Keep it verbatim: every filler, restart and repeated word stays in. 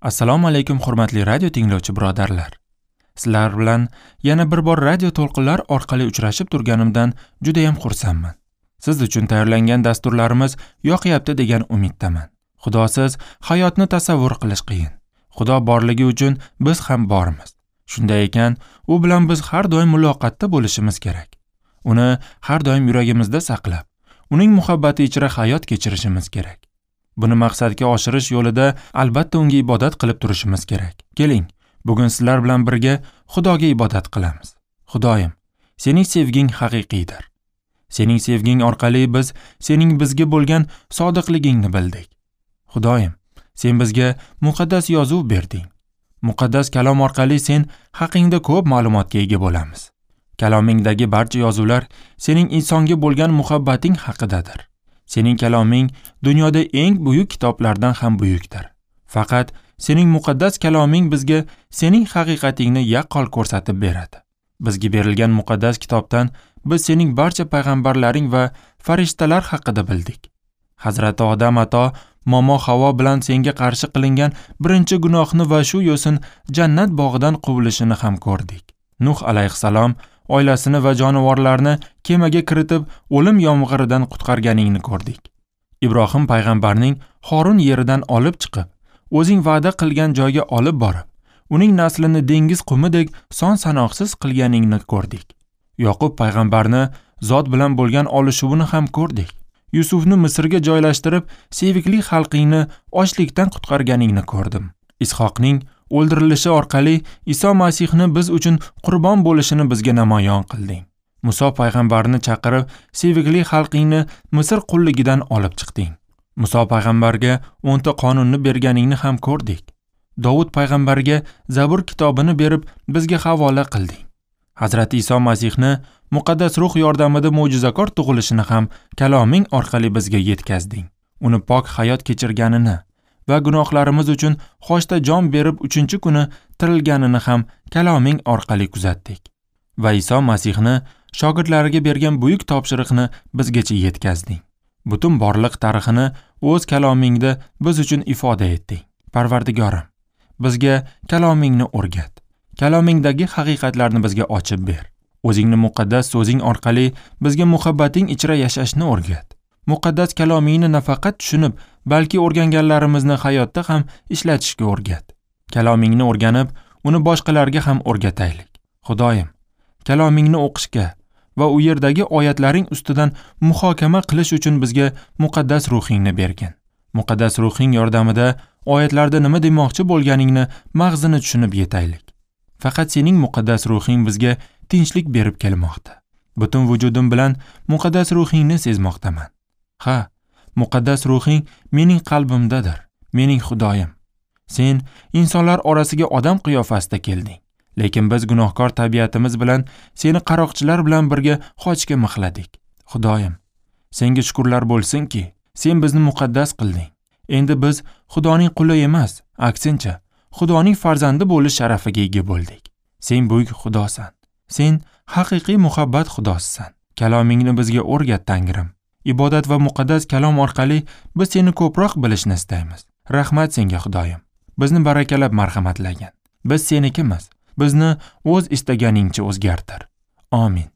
Assalomu alaykum hurmatli radio tinglovchi birodarlar. Sizlar bilan yana bir bor radio to'lqinlar orqali uchrashib turganimdan juda ham xursandman. Siz uchun tayyorlangan dasturlarimiz yoqyapti degan umiddaman. Xudosiz hayotni tasavvur qilish qiyin. Xudo borligi uchun biz ham bormiz. Shunday ekan, u bilan biz har doim muloqotda bo'lishimiz kerak. Uni har doim yuragimizda saqlab, uning muhabbati ichra hayot kechirishimiz kerak. Buni maqsadga oshirish yo'lida albatta unga ibodat qilib turishimiz kerak. Keling, bugun sizlar bilan birga Xudoga ibodat qilamiz. Xudoyim, sening sevging haqiqiydir. Sening sevging orqali biz sening bizga bo'lgan sodiqligingni bildik. Xudoyim, sen bizga muqaddas yozuv berding. Muqaddas kalom orqali sen haqingda ko'p ma'lumotga ega bo'lamiz. Kalomingdagi barcha yozuvlar sening insonga bo'lgan muhabbating haqidadir. Sening kaloming dunyoda eng buyuk kitoblardan ham buyukdir. Faqat sening muqaddas kaloming bizga sening haqiqatingni yaqqol ko'rsatib beradi. Bizga berilgan muqaddas kitobdan biz sening barcha payg'ambarlaring va farishtalar haqida bildik. Hazrati Odam ato momo Havo bilan senga qarshi qilingan birinchi gunohni va shu yo'sin jannat bog'idan quvilishini ham ko'rdik. Nuh alayhissalom oilasini va jonivorlarni kemaga kiritib o'lim yomg'iridan qutqarganingni ko'rdik. Ibrohim payg'ambarning Xorin yeridan olib chiqib, o'zing va'da qilgan joyga olib borib, uning naslini dengiz qumidek son sanoqsiz qilganingni ko'rdik. Yoqub payg'ambarni zot bilan bo'lgan olishuvini ham ko'rdik. Yusufni Misrga joylashtirib, sevikli xalqingni ochlikdan qutqarganingni ko'rdim. Ishoqning o'ldirilishi orqali Iso Masihni biz uchun qurbon bo'lishini bizga namoyon qilding. Muso payg'ambarni chaqirib, sevikli xalqingni Misr qulligidan olib chiqding. Muso payg'ambarga o'nta qonunni berganingni ham ko'rdik. Dovud payg'ambarga Zabur kitobini berib, bizga havola qilding. Hazrati Iso Masihni muqaddas ruh yordamida mo'jizakor tug'ilishini ham kaloming orqali bizga yetkazding. Uni pok hayot kechirganini va gunohlarimiz uchun xochda jon berib uchinchi kuni tirilganini ham kaloming orqali kuzatdik. Va Iso Masihni shogirdlariga bergan buyuk topshiriqni bizgacha yetkazding. Butun borliq tarixini o'z kalomingda biz uchun ifoda etding. Parvardigorim, bizga kalomingni o'rgat. Kalomingdagi haqiqatlarni bizga ochib ber. O'zingni muqaddas so'zing orqali bizga muhabbating ichra yashashni o'rgat. Muqaddas kalomingni nafaqat tushunib, balki o'rganganlarimizni hayotda ham ishlatishga o'rgat. Kalomingni o'rganib, uni boshqalarga ham o'rgataylik. Xudoyim, kalomingni o'qishga va u yerdagi oyatlaring ustidan muhokama qilish uchun bizga muqaddas ruhingni bergin. Muqaddas ruhing yordamida oyatlarda nima demoqchi bo'lganingni mag'zini tushunib yetaylik. Faqat sening muqaddas ruhing bizga tinchlik berib kelmoqda. Butun vujudim bilan muqaddas ruhingni sezmoqdaman. Ha, muqaddas ruhing mening qalbimdadir, mening Xudoyim. Sen insonlar orasiga odam qiyofasida kelding, lekin biz gunohkor tabiatimiz bilan seni qaroqchilar bilan birga xochga mixladik. Xudoyim, senga shukrlar bo'lsinki, sen bizni muqaddas qilding. Endi biz Xudoning quli emas, aksincha, Xudoning farzandi bo'lish sharafiga ega bo'ldik. Sen buyuk Xudosan. Sen haqiqiy muhabbat Xudosisan. Kalomingni bizga o'rgat, Tangrim. Ibodat va muqaddas kalom orqali biz seni ko'proq bilishni istaymiz. Rahmat senga, Xudoyim. Bizni barakalab marhamatlagin. Biz senikimiz. Bizni o'z istaganingcha o'zgartir. Amin.